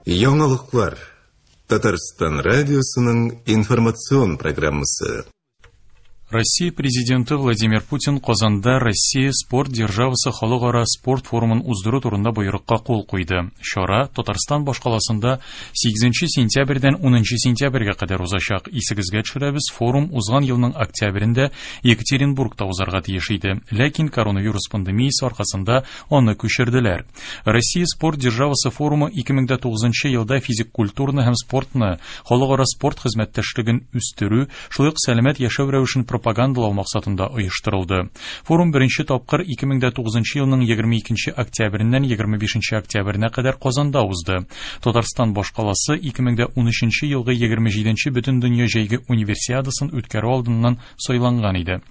Яңалыклар. Татарстан радиосының информацион программасы. Россия Президенты Владимир Путин Казанда Россия спорт державасы халыкара спорт форумын уздыру турында боерыкка кул куйды. Чара Татарстан башкаласында 8 сентябрьдән 10 сентябрьгә кадәр узачак. Исегезгә төшерәбез, форум узган елның октябрендә Екатеринбургта узарга тиеш иде. Ләкин коронавирус пандемиясе аркасында аны күчерделәр. Россия спорт державасы форумы 2009 елда физик культураны һәм спортны, халыкара спорт хезмәттәшлеген үстерү, шулай ук сәламәт яшәү рәвешен пропагандалау максатында оештырылды. Форум беренче тапкыр 2009 елның 22 октябреннән 25 октябренә кадәр Казанда узды. Татарстан башкаласы 2013 елгы 27 Бөтендөнья җәйге универсиадасын үткәрү алдыннан сайланган иде.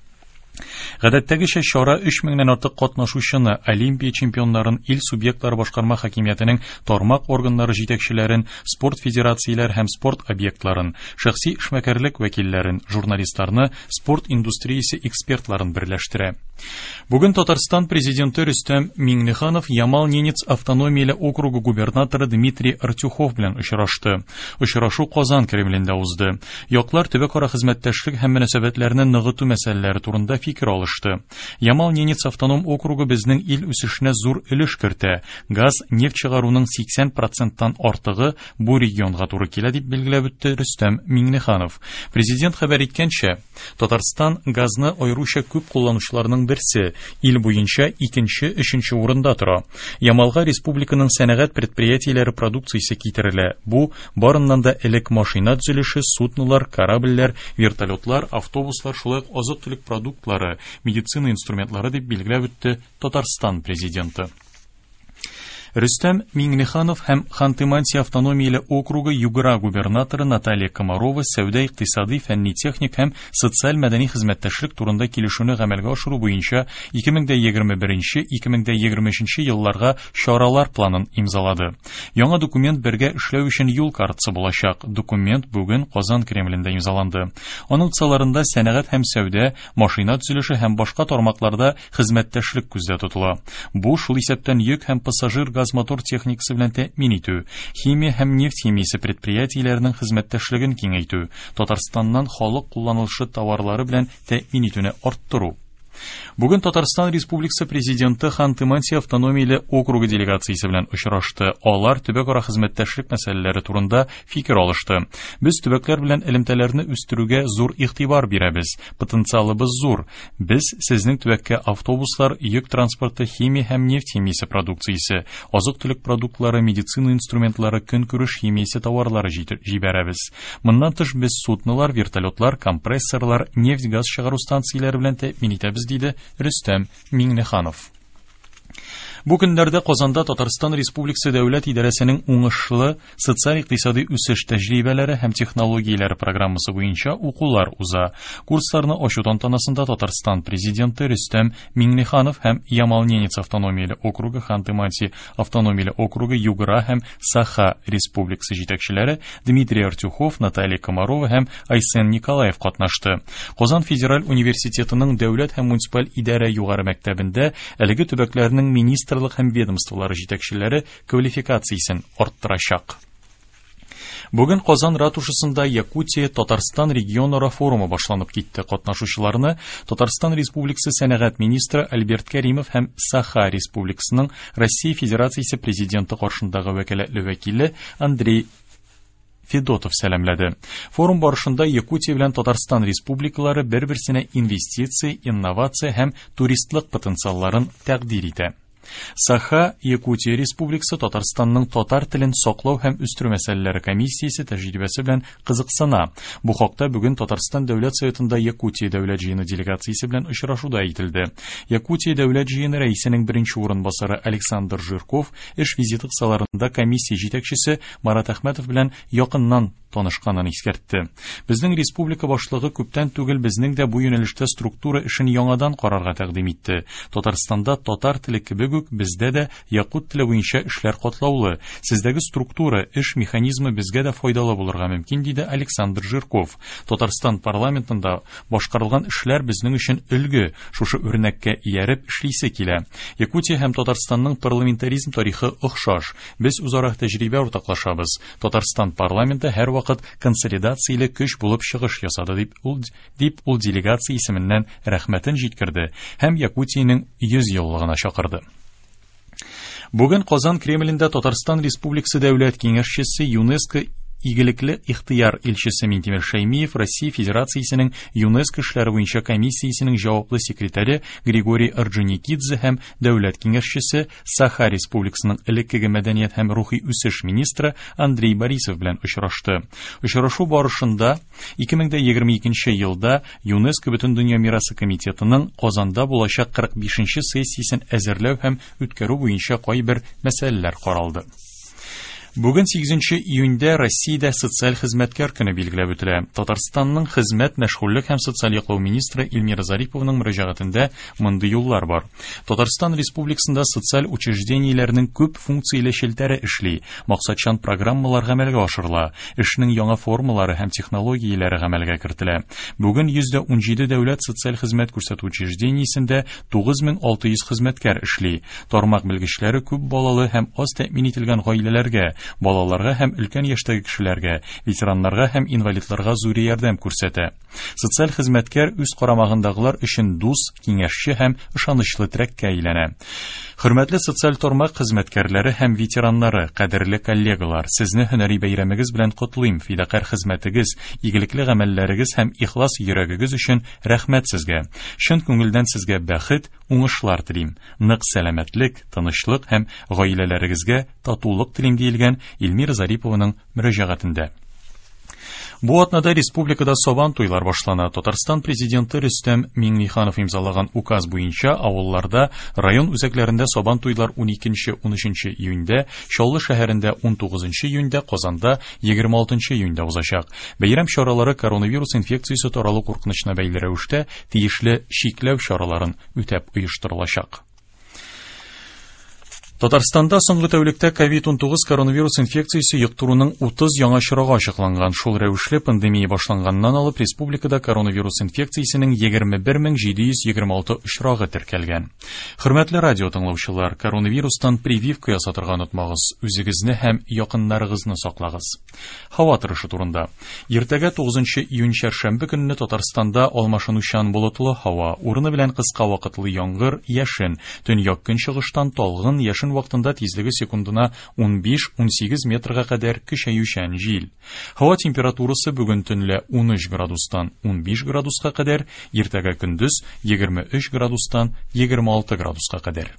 Гадәттәгечә чара 3 меңнән артык катнашучыны, Олимпия чемпионнарын, ил субъектлары башкарма хакимиятенең тармак органнары җитәкчеләрен, спорт федерацияләр һәм спорт объектларын, шәхси эшмәкәрлек вәкилләрен, журналистларны, спорт индустриясе экспертларын берләштерә. Бүген Татарстан президенты Рөстәм Миңнеханов Ямал-Ненец автономияле округы губернаторы Дмитрий Артюхов белән очрашты. Очрашу Казан Кремлендә узды. Яклар төбәкара хезмәттәшлек һәм мөнәсәбәтләрне ныгыту мәсьәләләре турында фикер алышты. Ямал-Ненец автоном округы безнең ил үсешенә зур өлеш кертә. Газ, нефть чыгаруның 80 проценттан артыгы бу регионга туры килә, дип билгеләп үтте Рөстәм Миңнеханов. Президент хәбәр иткәнчә, Татарстан газны аеруча күп кулланучыларның берсе, ил буенча икенче, өченче урында тора. Ямалга республиканың сәнәгать предприятиеләре продукциясе китерелә. Бу барыннан да элек машина төзелеше, суднолар, корабльләр, вертолетлар, автобуслар, шулай ук азык-төлек продуктлары, медицина инструментлары, дип билгеләп үтте Татарстан президенты. Рөстәм Миңнеханов һәм Ханты-Манси автономияле округы Югра губернаторы Наталья Комарова сәүдә-икътисадый, фәнни-техник һәм социаль-мәдәни хезмәттәшлек турында килешүне гамәлгә ашыру буенча 2021-2023 елларга чаралар планын имзалады. Яңа документ бергә эшләү өчен юл картасы булачак. Документ бүген Казан Кремлендә имзаланды. Аның кысаларында сәнәгать һәм сәүдә, машина төзелеше һәм башка тармакларда хезмәттәшлек күздә тотыла. Бу шул исәптән йөк һәм пассажир газ-мотор техникасы белән тәэмин итү, химия һәм нефть химиясе предприятиеләренең хезмәттәшлеген киңәйтү, Татарстаннан халык кулланылышы товарлары белән тәэмин итүне арттыру. Бүген Татарстан Республикасы Президенты Ханты-Манси автономияле округы делегациясе белән очрашты. Алар төбәкара хезмәттәшлек мәсьәләләре турында фикер алышты. Без төбәкләр белән элемтәләрне үстерүгә зур игътибар бирәбез. Потенциалыбыз зур. Без сезнең төбәккә автобуслар, йөк транспорты, химия һәм нефть химиясе продукциясе, азык-төлек продуктлары, медицина инструментлары, көнкүреш химиясе товарлары җибәрәбез. Моннан тыш без суднолар, вертолетлар, компрессорлар, нефть-газ чыгару станцияләре белән тәэмин итәбез, диде Рөстәм Миңнеханов. Бу көннәрдә Казанда Татарстан Республикасы Дәүләт идарәсенең уңышлы социаль-икътисади үсеш тәҗрибәләре һәм технологияләре программасы буенча укулар уза. Курсларны ачу тантанасында Татарстан Президенты Рөстәм Миңнеханов һәм Ямал-Ненец автономияле округы, Ханты-Манси автономияле округы, Югра һәм Саха Республикасы җитәкчеләре Дмитрий Артюхов, Наталья Комарова һәм Айсен Николаев катнашты. Казан федераль университетының дәүләт һәм муниципаль идарә югары мәктәбендә әлеге төбәкләрнең министрлык һәм ведомстволары җитәкчеләре квалификациясен арттырачак. Бүген Казан ратушасында Якутия Татарстан регионара форумы башланып китте. Катнашучыларны Татарстан Республикасы сәнәгать министры Альберт Кәримов һәм Саха Республикасының Россия Федерациясе президенты каршындагы вәкаләтле вәкиле Андрей Федотов сәламләде. Форум барышында Якутия белән Татарстан республикалары бер-берсенә инвестиция, инновация һәм туристлык потенциалларын тәкъдир итә. Саха Якутия Республикасы Татарстанның татар телен саклау һәм үстерү мәсьәләләре комиссиясе тәҗрибәсе белән кызыксына. Бу хакта бүген Татарстан Дәүләт Советында Якутия Дәүләт җыены делегациясе белән очрашуда әйтелде. Якутия Дәүләт җыены рәисенең беренче урынбасары Александр Жирков эш визиты кысаларында комиссия җитәкчесе Марат Әхмәтов белән якыннан танышканын искәртте. Безнең республика башлыгы күптән түгел безнең дә бу юнәлештә структура эшен яңадан карарга тәкъдим итте. Татарстанда татар теле кебек кебек үк, бездә дә якут теле буенча эшләр катлаулы. Сездәге структура, эш механизмы безгә дә файдалы булырга мөмкин, диде Александр Жирков. Татарстан парламентында башкарылган эшләр безнең өчен өлге, шушы үрнәккә ияреп эшлисе килә. Якутия һәм Татарстанның парламентаризм тарихы охшаш. Без үзара тәҗрибә уртаклашабыз. Татарстан парламенты һәрвакыт консолидацияле көч булып чыгыш ясады, дип ул делегация исеменнән рәхмәтен җиткерде һәм Якутиянең 100 еллыгына чакырды. Бүген Казан Кремлендә Татарстан Республикасы Дәүләт Киңәшчесе, ЮНЕСКО игелекле ихтыяр илчесе Минтимер Шәймиев Россия Федерациясенең ЮНЕСКО эшләре буенча комиссиясенең җаваплы секретаре Григорий Орджоникидзе һәм Дәүләт Киңәшчесе, Саха Республикасының элеккеге мәдәният һәм рухи үсеш министры Андрей Борисов белән очрашты. Очрашу барышында 2022 елда ЮНЕСКО Бөтендөнья мирасы комитетының Казанда булачак 45 сессиясен әзерләү һәм үткәрү буенча кайбер мәсьәләләр каралды. Бүген 8 июньдә Россиядә социаль хезмәткәр көне билгеләп үтелә. Татарстанның хезмәт, мәшгульлек һәм социаль яклау министры Эльмира Зариповның мөрәҗәгатендә мондый юллар бар. Татарстан Республикасында социаль учреждениеләрнең күп функцияле челтәре эшли, максатчан программалар гамәлгә ашырыла, эшнең яңа формалары һәм технологияләре гамәлгә кертелә. Бүген 117 дәүләт социаль хезмәт күрсәтү учреждениесендә 9600 хезмәткәр эшли. Тармак белгечләре күп балалы һәм аз тәэмин ителгән гаиләләргә, балаларга һәм өлкән яшьтәге кешеләргә, ветераннарга һәм инвалидларга зур ярдәм күрсәтә. Социаль хезмәткәр үз карамагындагылар өчен дус, киңәшче һәм ышанычлы терәккә әйләнә. Хөрмәтле социаль тармак хезмәткәрләре һәм ветераннары, кадерле коллегалар, сезне һөнәри бәйрәмегез белән котлыйм. Фидакарь хезмәтегез, игелекле гамәлләрегез һәм ихлас йөрәгегез өчен рәхмәт сезгә. Чын күңелдән сезгә бәхет, уңышлар телим. Нык сәламәтлек, тынычлык һәм гаиләләрегезгә татулык телим, диелгән Эльмира Зарипованың мөрәҗәгатендә. Бу атнада республикада Сабан туйлар башлана. Татарстан президенты Рөстәм Миңнеханов имзалаган указ буенча авылларда, район үзәкләрендә Сабан туйлар 12-13 июньдә, Чаллы шәһәрендә 19 июньдә, Казанда 26 июньдә узачак. Бәйрәм чаралары коронавирус инфекциясе таралу куркынычына бәйле рәвештә тиешле чикләү чараларын үтәп оештырылачак. Татарстанда соңгы тәүлектә COVID-19 коронавирус инфекциясе йоктыруның 30 яңа очрагы ачыкланган. Шул рәвешле пандемия башланганнан алып республикада коронавирус инфекциясенең 21726 очрагы теркәлгән. Хөрмәтле радио тыңлаучылар, коронавирустан прививка ясатырга онытмагыз. Үзегезне һәм якыннарыгызны саклагыз. Һава торышы турында. Иртәгә 9 июнь чәршәмбе көнне Татарстанда алмашынучан болытлы һава, урыны белән кыска вакытлы яңгыр, яшен, төньяк көнчыгыштан талгын, яшен вакытында тизлеге секундына 15-18 метрга кадәр көчәючән җил. Һава температурасы бүген төнлә 13 градустан 15 градуска кадәр, иртәгә көндез 23 градустан 26 градуска кадәр.